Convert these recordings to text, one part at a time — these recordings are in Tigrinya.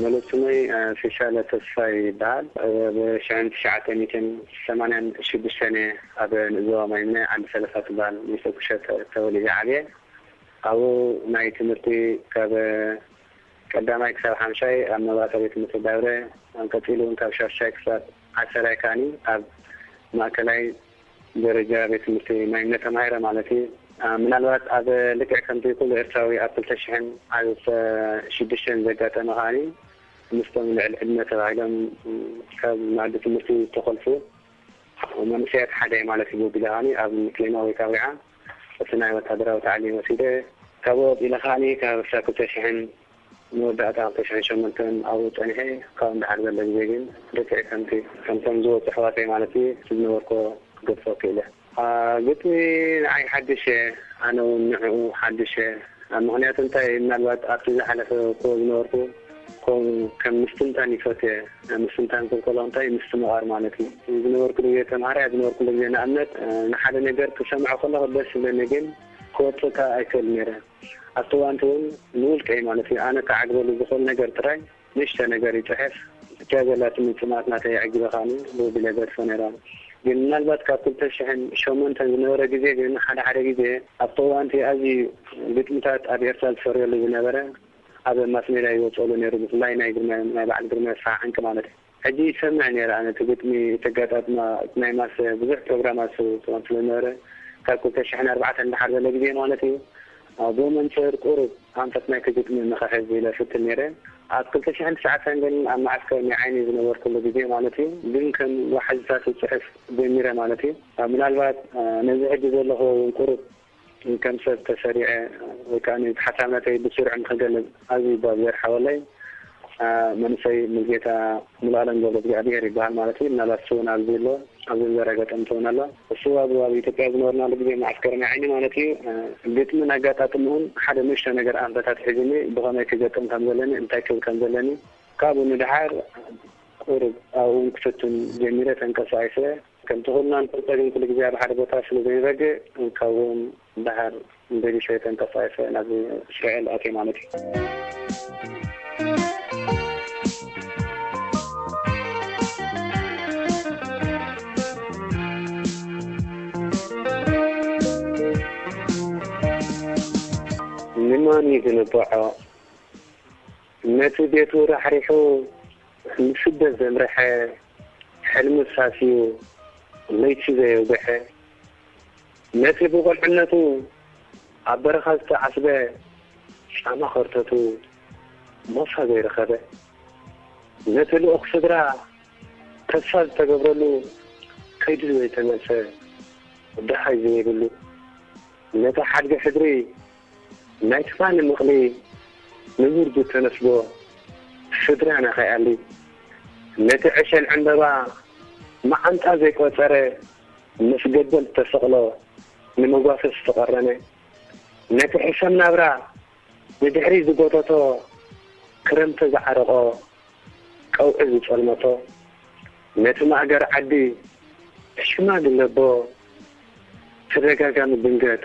ሙሉእ ስመይ፣ እ፣ ፊሻለ ተስፋይ ይበሃል። እ፣ ብ ሽሕን ትሽዓተ ሚእትን ሰማንያን ሽዱሽተን እየ ኣብ ንእዞ ማይምነ ዓዲ ሰለፋ ትበሃል ንእሽቶ ቁሸት ተወሊደ ዓብየ። ኣብኡ ናይ ትምህርቲ ካብ ቀዳማይ ክሳብ ሓምሻይ ኣብ መባእታ ቤት ትምህርቲ ዳብረ፣ ኣብ ቀጺሉ እውን ካብ ሻሻይ ክሳብ ዓሰራይ ከኣኒ ኣብ ማእከላይ ደረጃ ቤት ትምህርቲ ማይምነ ተማሂረ ማለት እዩ። እ፣ ምናልባት ኣብ ልክዕ ከምቲ ኩሉ ኤርትራዊ ኣብ ክልተ ሽሕን ዓሰርተ ሽዱሽተን ዘጋጠመ ከኣኒ ምስቶም ልዕሊ ዕድመ ተባሂሎም ካብ መኣዲ ትምህርቲ ዝተኾልፉ መንእሰያት ሓደ እየ ማለት እዩ። ብወግዲ ከኣኒ ኣብ ክሌማ ወይ ካብ ሪዓ እቲ ናይ ወታደራዊ ታዕሊም ወሲደ፣ ካብኡ ወጺለ ከኣኒ ካብ ክሳብ ክልተ ሽሕን መወዳእታ ክልተ ሽሕን ሸሞንተን ኣብኡ ጸኒሐ። ካብኡ ንደሓር ዘሎ ግዜ ግን ልክዕ ከምቲ ከምቶም ዝወጹ ኣሕዋተይ ማለት እዩ እቲ ዝነበርኩዎ ክገድፎ ክኢለ። አ፣ ግጥሚ ንዓይ ሓድሽ እየ፣ ኣነ እውን ንዕኡ ሓድሽ እየ። አ፣ ምኽንያቱ እንታይ፣ ምናልባት ኣብቲ ዝሓለፈ እኮ ዝነበርኩ ከም፣ ከም ምስትንታን ይፈትየ። ምስትንታን ክብል ከለኹ እንታይ፣ ምስትምቓር ማለት እዩ። ዝነበርኩሉ ግዜ ተምሃራይ፣ ኣብ ዝነበርኩሉ ግዜ ንኣብነት፣ እ፣ ንሓደ ነገር ክሰምዖ ከለኹ ደስ ይብለኒ፣ ግን ክወጽእ ከኣ ኣይክእል ነይረ። ኣብቲ እዋንቲ እውን ንውልቀይ ማለት እዩ፣ ኣነ ክዓግበሉ ዝኽእል ነገር ጥራይ ንእሽቶ ነገር ይጽሕፍ። እታ ዘላትኒ ጽምኣት ናተይ ኣዕጊበ ከኣ ብወግዲ ገድፎ ነይረ። ግን ምናልባት ካብ ክልተ ሽሕን ሸሞንተን ዝነበረ ግዜ ግን ሓደ ሓደ ግዜ ኣብቲ እዋንቲ ኣዝዩ ግጥምታት ኣብ ኤርትራ ዝፈርየሉ ዝነበረ ኣብ ማስ ሜድያ ይወጸሉ ነይሩ፣ ብፍላይ ናይ ግርማይ፣ ናይ በዓል ግርማይ ኣስፍሃ ዕንቂ ማለት እዩ። ሕጂ ይሰምዕ ነይረ ኣነ እቲ ግጥሚ፣ እቲ ኣጋጣጥማ፣ እቲ ናይ ማስ ብዙሕ ፕሮግራማት ስለ ዝነበረ፣ ካብ ክልተ ሽሕን ኣርባዕተን ንደሓር ዘሎ ግዜ ማለት እዩ። ብኡ መንጽር ቁሩብ ኣንፈት ናይቲ ግጥሚ ንኽሕዝ ኢለ እፍትን ነይረ። ኣብ ክልተ ሽሕን ትሽዓተን ግን ኣብ መዓስከር ናይ ዓይኒ ዝነበርኩሉ ግዜ ማለት እዩ፣ ግን ከም ዋሕዝታት እጽሕፍ ጀሚረ ማለት እዩ። ምናልባት ነዚ ሕጂ ዘለኹ እውን ቁሩብ ከም ሰብ ተሰሪዐ ወይ ከኣ እቲ ሓሳብ ናተይ ብስሩዕ ንኽገልጽ ኣዝዩ ባብ ዘርሓወለይ፣ አ፣ መንእሰይ ሙሉጌታ ሙሉኣለም ገብረእግዚኣብሄር ይበሃል ማለት እዩ። ምናልባት እሱ እውን ኣብዚ ኣሎ፣ ኣብዚ ዘረገጠ እንትኸውን ኣሎ። እሱ ኣብ፣ ኣብ ኢትዮጵያ ዝነበርናሉ ግዜ መዓስከር ናይ ዓይኒ ማለት እዩ። አ፣ ግጥምን ኣጋጣጥምኡን ሓደ ንእሽቶ ነገር ኣንፈታት ሒዙኒ፣ ብኸመይ ክገጥም ከም ዘለኒ፣ እንታይ ክብል ከም ዘለኒ፣ ካብኡ ንደሓር ቁሩብ ኣብኡ እውን ክፍትን ጀሚረ፣ ተንቀሳቒሰ። ከምቲ ኩልና ንፈልጦ ግን ኩሉ ግዜ ኣብ ሓደ ቦታ ስለ ዘይንረግእ፣ ካብኡ እውን ደሓር ደቢሰ ተንቀሳቒሰ ናብ እስራኤል ኣትየ ማለት እዩ። ንመን እዩ ዝንብዖ? ነቲ ቤቱ ራሕሪሑ ንስደት ዘምረሐ፣ ሕልሚ ሳስዩ ለይቲ ዘየውግሐ፣ ነቲ ብቆልዕነቱ ኣብ በረኻ ዝተዓስበ፣ ጫማ ከርተቱ ሞሳ ዘይረኸበ፣ ነቲ ልኡኽ ስድራ ተስፋ ዝተገብረሉ፣ ከይዱ ዘይተመልሰ፣ ደሃይ ዘይብሉ፣ ነቲ ሓድጊ ሕድሪ ናይ ትማሊ ምቕሊ ንቡር ዝተነስቦ ስድራና ከይኣሊ፣ ነቲ ዕሸል ዕምበባ መዓንጣ ዘይቆጸረ፣ ምስ ገበል ዝተሰቕሎ ንመጓሰ ዝተቐረነ፣ ነቲ ሕሰም ናብራ ንድሕሪ ዝጎተቶ፣ ክረምቲ ዝዓረቖ ቀውዒ ዝጸልመቶ፣ ነቲ ማእገር ዓዲ ሽማግለ ኣቦ ተደጋጋሚ ድንገት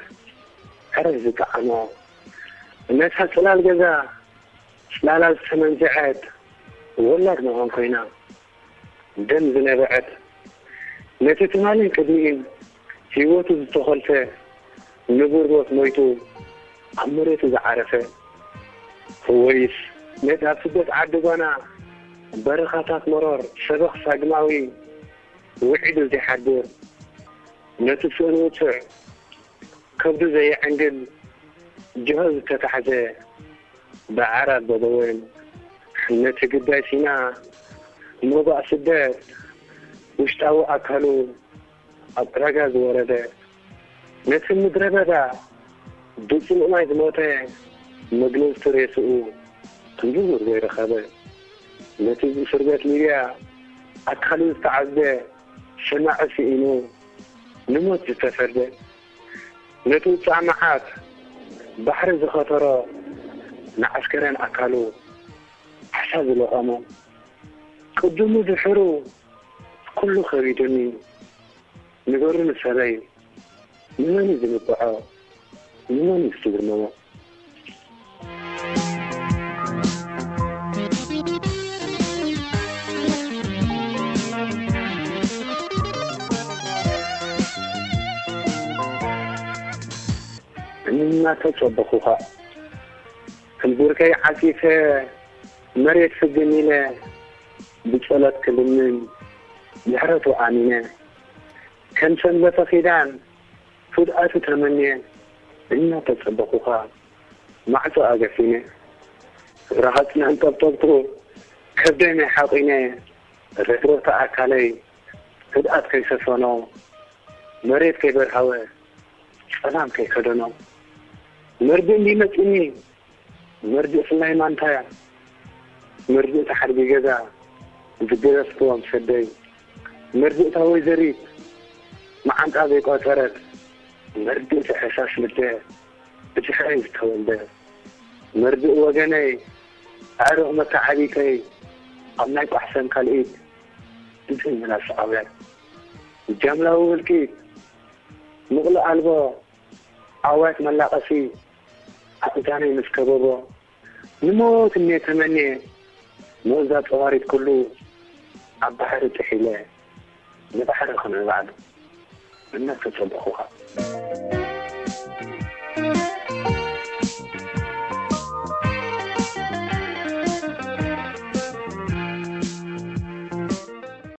ዕረፍ ዝጠዓሞ፣ ነታ ጽላል ገዛ ጽላላ ዝተመንዝዐት ወላድ መኻን ኮይና ደም ዝነበዐት፣ ነቲ ትማልን ቅድሚኡን ህይወቱ ዝተኾልፈ ንቡር ሞት ሞይቱ ኣብ መሬቱ ዝዓረፈ፣ ወይስ ነቲ ኣብ ስደት ዓዲ ጓና በረኻታት መሮር ሰበኽ ሳግማዊ ውዒሉ ዘይሓድር፣ ነቲ ስእኑ ውጹዕ ከብዱ ዘየዕንግል ጅሆ ዝተታሕዘ ብዓራት በደወን፣ ነቲ ግዳይ ሲና ሞባእ ስደት ውሽጣዊ ኣካሉ ኣብ ዕዳጋ ዝወረደ፣ ነቲ ምድረ በዳ ብጽሙእ ማይ ዝሞተ መግነዝቲ ሬስኡ ንቡር ዘይረኸበ፣ ነቲ ብእስር ቤት ሊብያ ኣካሉ ዝተዓዝበ ሰማዒ ስኢኑ ንሞት ዝተፈርደ፣ ነቲ ውጻእ መዓት ባሕሪ ዝኸተሮ ንዓስከርያን ኣካሉ ዓሳ ዝለቐሞ፣ ቅድሙ ድሕሩ ኩሉ ከቢዱኒ፣ ንገሩኒ ሰበይ፣ ንመን እዩ ዝንብዖ? ንመን እዩ ዝትግርመሞ? እናተጸበኹኻ። ሕንቡርከይ ዓጺፈ መሬት ፍግም ኢለ ብጸሎት ክልምን ምሕረቱ ኣሚነ። ከም ሰንበተ ኪዳን ፍድኣቱ ተመንየ እናተጸበኹኻ ማዕጾ ኣገፊነ። ረሃጽ ንዕንጠብጠብቱ ከብደይ ናይ ሓቒነ ረግረተ ኣካለይ ህድኣት ከይሰፈኖ መሬት ከይበርሃወ ጸላም ከይከደኖ መርድእ እንዲመጽኒ መርድእ ፍላይ ማንታያ መርድእ ተሓድጊ ገዛ ዝገረፍክዎም ሰደይ መርድእ እታ ወይዘሪት መዓንጣ ዘይቋጸረት መርድእ እቲ ሕሳስ ልደ ብድሕረይ ዝተወልደ መርድእ ወገነይ ኣዕሩኽ መተዓቢተይ ኣብ ናይ ቋሕሰን ካልኢት ድምፂ ምላስ ዓውያት ጃምላዊ ህልቂት ምቕሊ ኣልቦ ዓዋት መላቐሲ ኣእዛነይ ምስ ከበቦ ንሞት እኔ ተመኔ መእዛ ፀዋሪት ኩሉ ኣብ ባሕሪ ጥሒለ ንባሕሪ ክንዕባዕሉ እናተፀበኹኻ